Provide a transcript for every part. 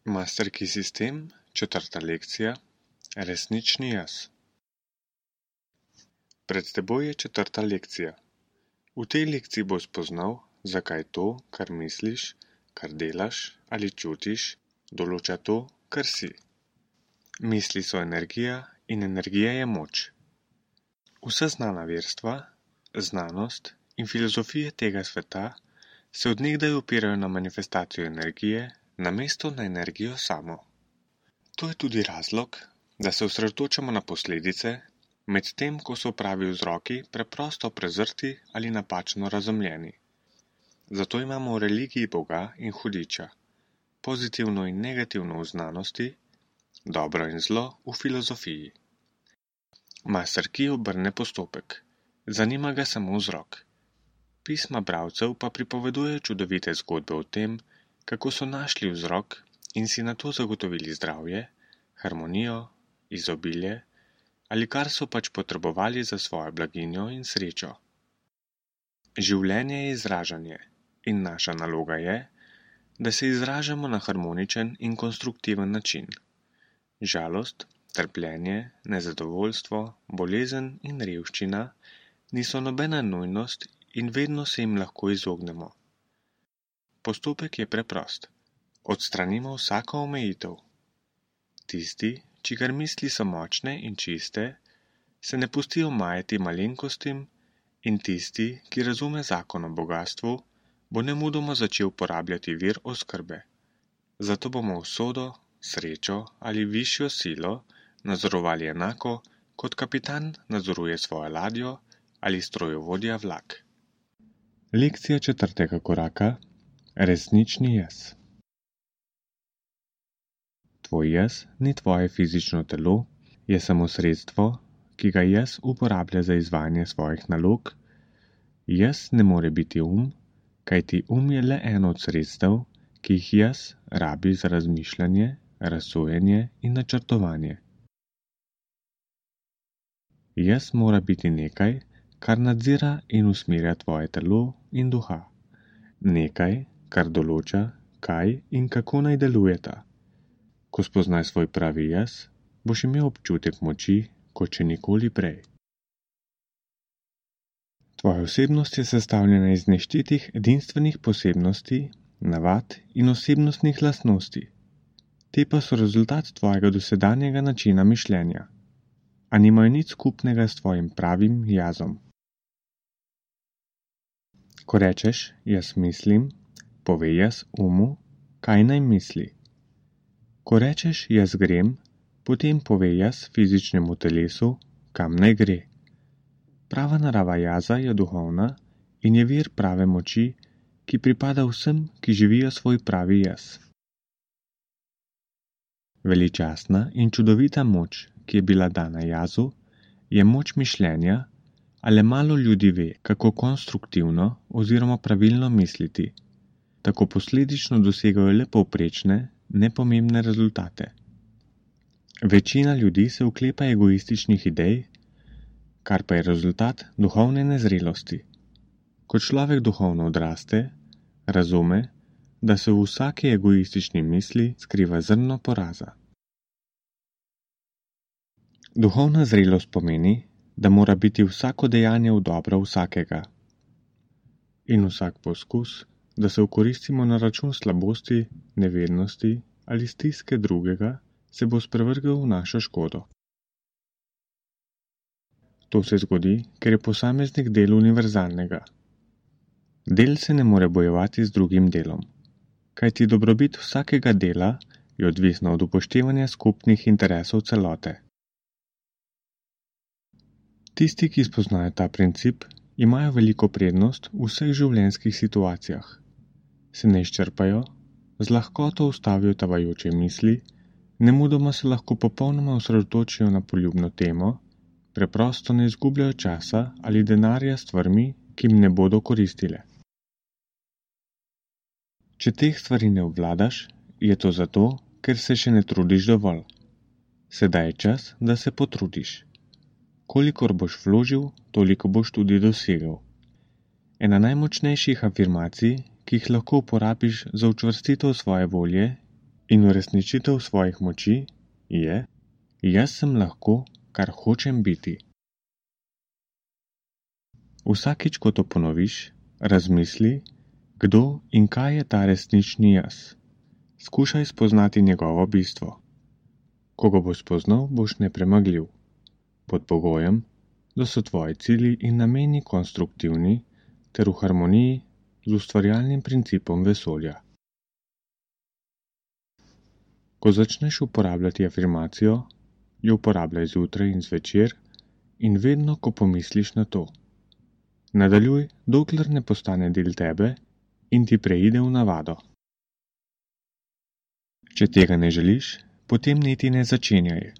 Masterkey sistem, 4. lekcija, resnični jaz. Pred teboj je 4. lekcija. V tej lekciji boš spoznal, zakaj to, kar misliš, kar delaš ali čutiš, določa to, kar si. Misli so energija in energija je moč. Vsa znana verstva, znanost in filozofije tega sveta se od nekdaj opirajo na manifestacijo energije, namesto na energijo samo. To je tudi razlog, da se osredotočamo na posledice, medtem ko so pravi vzroki preprosto prezrti ali napačno razumljeni. Zato imamo v religiji Boga in hudiča, pozitivno in negativno v znanosti, dobro in zlo v filozofiji. Masterkey obrne postopek, zanima ga samo vzrok. Pisma bralcev pa pripovedujejo čudovite zgodbe o tem, kako so našli vzrok in si nato zagotovili zdravje, harmonijo, izobilje ali kar so pač potrebovali za svojo blaginjo in srečo. Življenje je izražanje in naša naloga je, da se izražamo na harmoničen in konstruktiven način. Žalost, trpljenje, nezadovoljstvo, bolezen in revščina niso nobena nujnost in vedno se jim lahko izognemo. Postopek je preprost. Odstranimo vsako omejitev. Tisti, čigar misli so močne in čiste, se ne pustijo majati malenkostim in tisti, ki razume zakon o bogastvu, bo nemudoma začel porabljati vir oskrbe. Zato bomo usodo, srečo ali višjo silo nadzorovali enako, kot kapitan nadzoruje svojo ladjo ali strojovodja vlak. Lekcija 4. koraka. Resnični jaz. Tvoj jaz ni tvoje fizično telo, je samo sredstvo, ki ga jaz uporablja za izvajanje svojih nalog. Jaz ne more biti kajti je le eno od sredstev, ki jih jaz rabi za razmišljanje, razsojanje in načrtovanje. Jaz mora biti nekaj, kar nadzira in usmerja tvoje telo in duha. Nekaj, kar določa, kaj in kako naj delujeta. Ko spoznaj svoj pravi jaz, boš imel občutek moči, kot še nikoli prej. Tvoja osebnost je sestavljena iz neštetih edinstvenih posebnosti, navad in osebnostnih lastnosti. Te pa so rezultat tvojega dosedanjega načina mišljenja, a nimajo nič skupnega s tvojim pravim jazom. Ko rečeš, jaz mislim, pove jaz kaj naj misli. Ko rečeš, jaz grem, potem pove jaz fizičnemu telesu, kam naj gre. Prava narava jaza je duhovna in je vir prave moči, ki pripada vsem, ki živijo svoj pravi jaz. Veličastna in čudovita moč, ki je bila dana jazu, je moč mišljenja, a le malo ljudi ve, kako konstruktivno oziroma pravilno misliti. Tako posledično dosegajo le povprečne, nepomembne rezultate. Večina ljudi se oklepa egoističnih idej, kar pa je rezultat duhovne nezrelosti. Ko človek duhovno odraste, razume, da se v vsaki egoistični misli skriva zrno poraza. Duhovna zrelost pomeni, da mora biti vsako dejanje v dobro vsakega. In vsak poskus, da se okoristimo na račun slabosti, nevednosti ali stiske drugega, se bo sprevrgel v našo škodo. To se zgodi, ker je posameznik del univerzalnega. Del se ne more bojevati z drugim delom, kajti dobrobit vsakega dela je odvisna od upoštevanja skupnih interesov celote. Tisti, ki spoznajo ta princip, imajo veliko prednost v vseh življenjskih situacijah. Se ne izčrpajo, z lahkoto ustavijo tavajoče misli, nemudoma se lahko popolnoma osredotočijo na poljubno temo, preprosto ne izgubljajo časa ali denarja s stvarmi, ki jim ne bodo koristile. Če teh stvari ne obvladaš, je to zato, ker se še ne trudiš dovolj. Sedaj je čas, da se potrudiš. Kolikor boš vložil, toliko boš tudi dosegel. Ena najmočnejših afirmacij, ki jih lahko uporabiš za učvrstitev svoje volje, In uresničitev svojih moči je: jaz sem lahko, kar hočem biti. Vsakič, ko to ponoviš, razmisli, kdo in kaj je ta resnični jaz. Skušaj spoznati njegovo bistvo. Ko ga boš spoznal, boš nepremagljiv. Pod pogojem, da so tvoji cilji in nameni konstruktivni ter v harmoniji z ustvarjalnim principom vesolja. Ko začneš uporabljati afirmacijo, jo uporabljaj zjutraj in zvečer in vedno, ko pomisliš na to. Nadaljuj, dokler ne postane del tebe in ti preide v navado. Če tega ne želiš, potem niti ne začenjaj,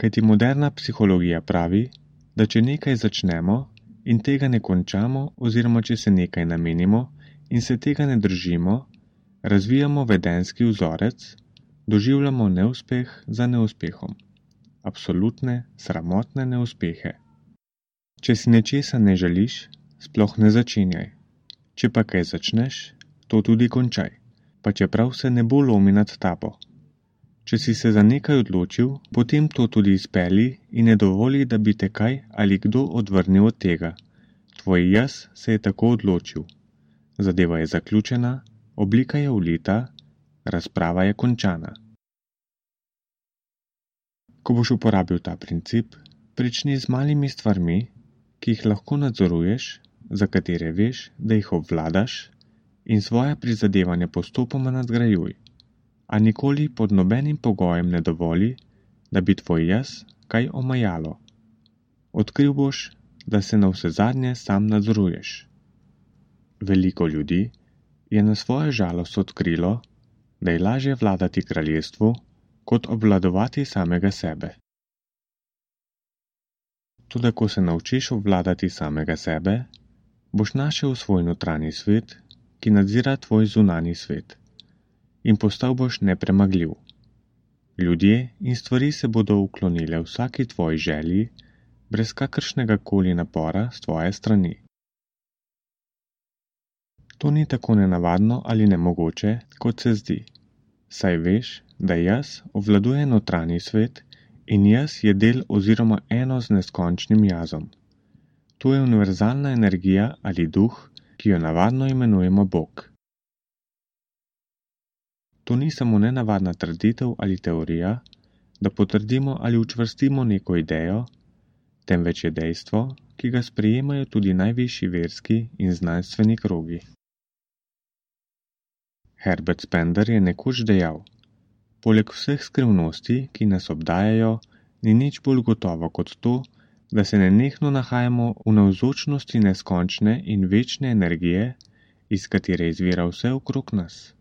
kajti moderna psihologija pravi, da če nekaj začnemo in tega ne končamo oziroma če se nekaj namenimo in se tega ne držimo, razvijamo vedenjski vzorec, doživljamo neuspeh za neuspehom. Absolutne, sramotne neuspehe. Če si nečesa ne želiš, sploh ne začenjaj. Če pa kaj začneš, to tudi končaj, pa čeprav se nebo lomi nad tabo. Če si se za nekaj odločil, potem to tudi izpelji in ne dovoli, da bi te kaj ali kdo odvrnil od tega. Tvoj jaz se je tako odločil. Zadeva je zaključena, oblika je ulita, razprava je končana. Ko boš uporabil ta princip, prični z malimi stvarmi, ki jih lahko nadzoruješ, za katere veš, da jih obvladaš, in svoja prizadevanja postopoma nadgrajuj. A nikoli pod nobenim pogojem ne dovoli, da bi tvoj jaz kaj omajalo. Odkril boš, da se navsezadnje sam nadzoruješ. Veliko ljudi je na svojo žalost odkrilo, da je lažje vladati kraljestvu, kot obvladovati samega sebe. Toda ko se naučiš obvladati samega sebe, boš našel svoj notranji svet, ki nadzira tvoj zunanji svet. In postal boš nepremagljiv. Ljudje in stvari se bodo uklonile vsaki tvoji želji, brez kakršnega koli napora s tvoje strani. To ni tako nenavadno ali nemogoče, kot se zdi. Saj veš, da jaz obvladuje notranji svet in jaz je del oziroma eno z neskončnim jazom. To je univerzalna energija ali duh, ki jo navadno imenujemo Bog. To ni samo nenavadna trditev ali teorija, da potrdimo ali učvrstimo neko idejo, temveč je dejstvo, ki ga sprejemajo tudi najvišji verski in znanstveni krogi. Herbert Spender je nekoč dejal: poleg vseh skrivnosti, ki nas obdajajo, ni nič bolj gotovo kot to, da se nenehno nahajamo v navzočnosti neskončne in večne energije, iz katere izvira vse okrog nas.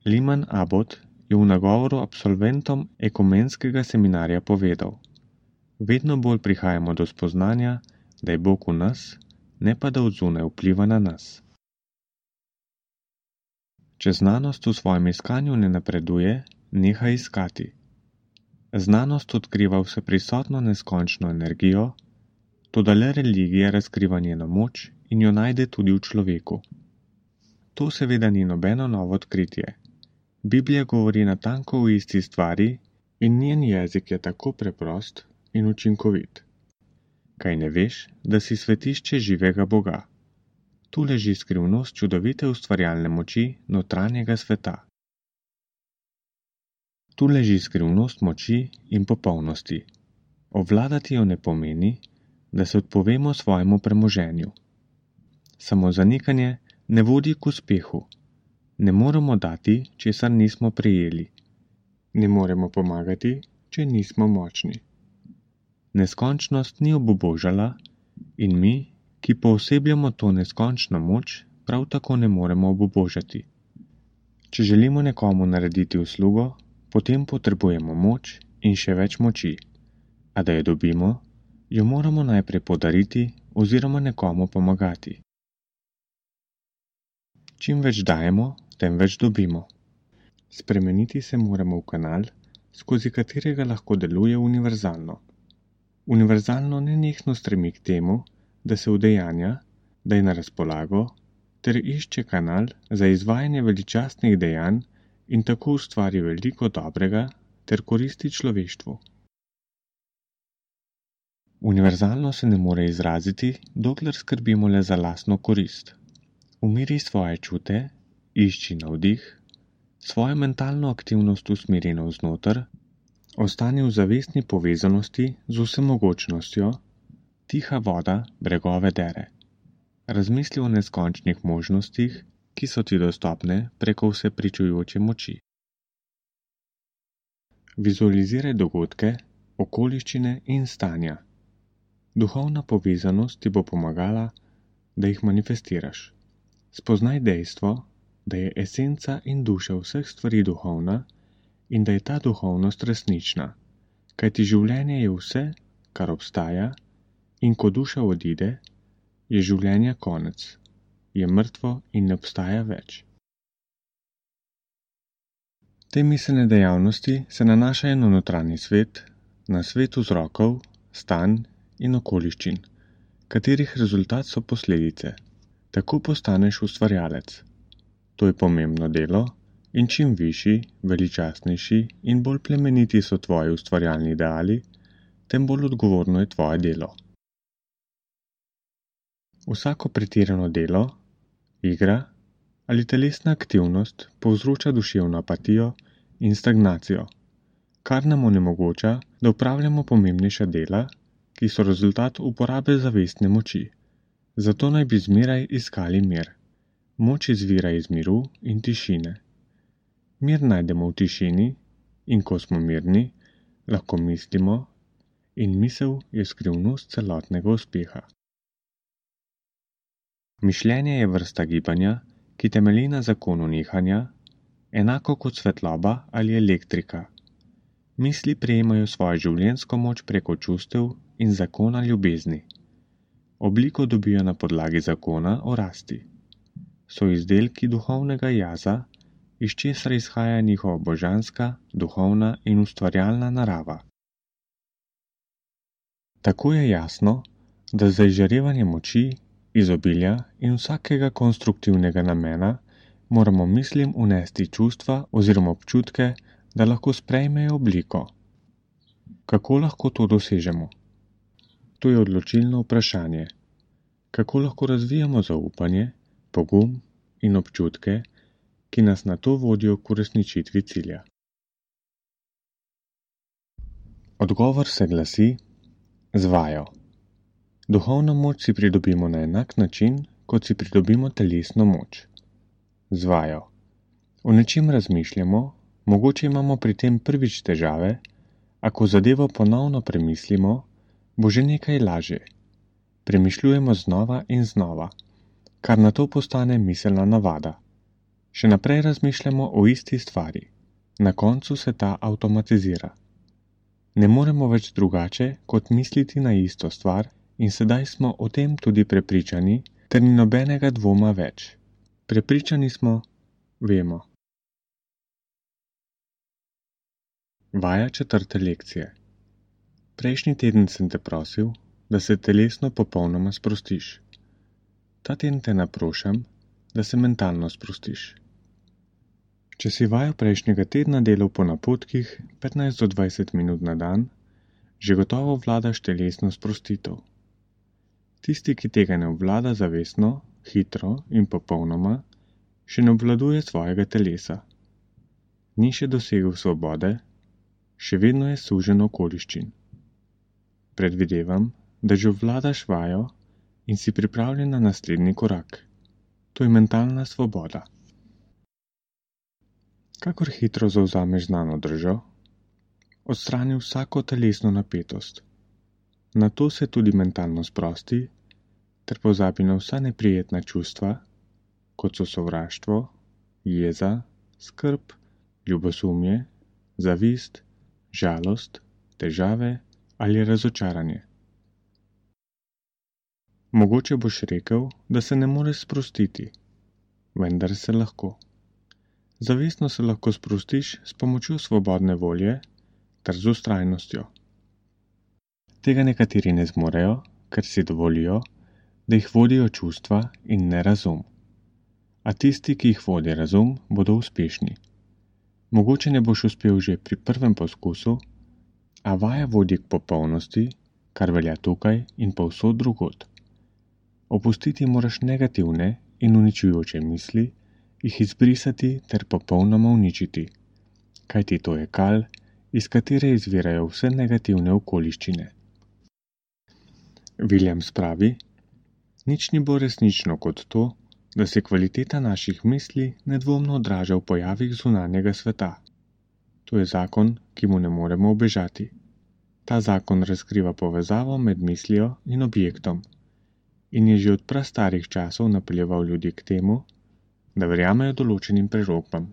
Lyman Abbott je v nagovoru absolventom ekumenskega seminarja povedal: vedno bolj prihajamo do spoznanja, da je Bog v nas, ne pa da od zunaj vpliva na nas. Če znanost v svojem iskanju ne napreduje, nehaj iskati. Znanost odkriva vseprisotno neskončno energijo, toda le religija razkriva njeno moč in jo najde tudi v človeku. To seveda ni nobeno novo odkritje. Biblija govori natanko o isti stvari in njen jezik je tako preprost in učinkovit. Kaj ne veš, da si svetišče živega Boga? Tu leži skrivnost čudovite ustvarjalne moči notranjega sveta. Tu leži skrivnost moči in popolnosti. Obvladati jo ne pomeni, da se odpovemo svojemu premoženju. Samo zanikanje ne vodi k uspehu. Ne moremo dati, česar nismo prejeli. Ne moremo pomagati, če nismo močni. Neskončnost ni obubožala in mi, ki poosebljamo to neskončno moč, prav tako ne moremo obubožati. Če želimo nekomu narediti uslugo, potem potrebujemo moč in še več moči. A da jo dobimo, jo moramo najprej podariti oziroma nekomu pomagati. Čim več dajemo, tem več dobimo. Spremeniti se moramo v kanal, skozi katerega lahko deluje univerzalno. Univerzalno nenehno stremi k temu, da se udejanja, da je na razpolago, ter išče kanal za izvajanje veličastnih dejanj in tako ustvari veliko dobrega ter koristi človeštvu. Univerzalno se ne more izraziti, dokler skrbimo le za lastno korist. Umiri svoje čute, išči navdih, svojo mentalno aktivnost usmeri navznoter, ostani v zavestni povezanosti z vsemogočnostjo, tiha voda bregove dere. Razmisli o neskončnih možnostih, ki so ti dostopne preko vse pričujoče moči. Vizualiziraj dogodke, okoliščine in stanja. Duhovna povezanost ti bo pomagala, da jih manifestiraš. Spoznaj dejstvo, da je esenca in duša vseh stvari duhovna in da je ta duhovnost resnična, kajti življenje je vse, kar obstaja, in ko duša odide, je življenja konec, je mrtvo in ne obstaja več. Te miselne dejavnosti se nanašajo na notranji svet, na svet vzrokov, stanj in okoliščin, katerih rezultat so posledice. Tako postaneš ustvarjalec. To je pomembno delo in čim višji, veličastnejši in bolj plemeniti so tvoji ustvarjalni ideali, tem bolj odgovorno je tvoje delo. Vsako pretirano delo, igra ali telesna aktivnost povzroča duševno apatijo in stagnacijo, kar nam onemogoča, da opravljamo pomembnejša dela, ki so rezultat uporabe zavestne moči. Zato naj bi zmeraj iskali mir. Moč izvira iz miru in tišine. Mir najdemo v tišini in ko smo mirni, lahko mislimo in misel je skrivnost celotnega uspeha. Mišljenje je vrsta gibanja, ki temelji na zakonu nihanja, enako kot svetloba ali elektrika. Misli prejemajo svojo življenjsko moč preko čustev in zakona ljubezni. Obliko dobijo na podlagi zakona o rasti. So izdelki duhovnega jaza, iz česar izhaja njihova božanska, duhovna in ustvarjalna narava. Tako je jasno, da za izžarevanje moči, izobilja in vsakega konstruktivnega namena moramo mislim unesti čustva oziroma občutke, da lahko sprejmejo obliko. Kako lahko to dosežemo? To je odločilno vprašanje. Kako lahko razvijamo zaupanje, pogum in občutke, ki nas na to vodijo k uresničitvi cilja? Odgovor se glasi: z vajo. Duhovno moč si pridobimo na enak način, kot si pridobimo telesno moč. Z vajo. O nečem razmišljamo, mogoče imamo pri tem prvič težave, a ko zadevo ponovno premislimo, bo že nekaj lažje. Premišljujemo znova in znova, kar na to postane miselna navada. Še naprej razmišljamo o isti stvari. Na koncu se ta avtomatizira. Ne moremo več drugače, kot misliti na isto stvar in sedaj smo o tem tudi prepričani, ter ni nobenega dvoma več. Prepričani smo, vemo. Vaja 4. lekcije. Prejšnji teden sem te prosil, da se telesno popolnoma sprostiš. Ta teden te naprošam, da se mentalno sprostiš. Če si vajo prejšnjega tedna delal po napotkih 15 do 20 minut na dan, že gotovo vladaš telesno sprostitev. Tisti, ki tega ne obvlada zavestno, hitro in popolnoma, še ne obvladuje svojega telesa. Ni še dosegel svobode, še vedno je sužen okoliščin. Predvidevam, da že obvladaš vajo in si pripravljen na naslednji korak. To je mentalna svoboda. Kakor hitro zavzameš znano držo, odstrani vsako telesno napetost. Nato se tudi mentalno sprosti, ter pozabi na vsa neprijetna čustva, kot so sovraštvo, jeza, skrb, ljubosumje, zavist, žalost, težave ali razočaranje. Mogoče boš rekel, da se ne moreš sprostiti, vendar se lahko. Zavestno se lahko sprostiš s pomočjo svobodne volje ter z vztrajnostjo. Tega nekateri ne zmorejo, ker si dovolijo, da jih vodijo čustva in ne razum. a tisti, ki jih vodi razum, bodo uspešni. Mogoče ne boš uspel že pri prvem poskusu, a vaja vodi k popolnosti, kar velja tukaj in povsod drugod. Opustiti moraš negativne in uničujoče misli, jih izbrisati ter popolnoma uničiti, kajti to je kal, iz katere izvirajo vse negativne okoliščine. Williams pravi: nič ni bolj resnično kot to, da se kvaliteta naših misli nedvomno odraža v pojavih zunanjega sveta. To je zakon, ki mu ne moremo ubežati. Ta zakon razkriva povezavo med mislijo in objektom in je že od prastarih časov napeljeval ljudi k temu, da verjamejo določenim prerokbam.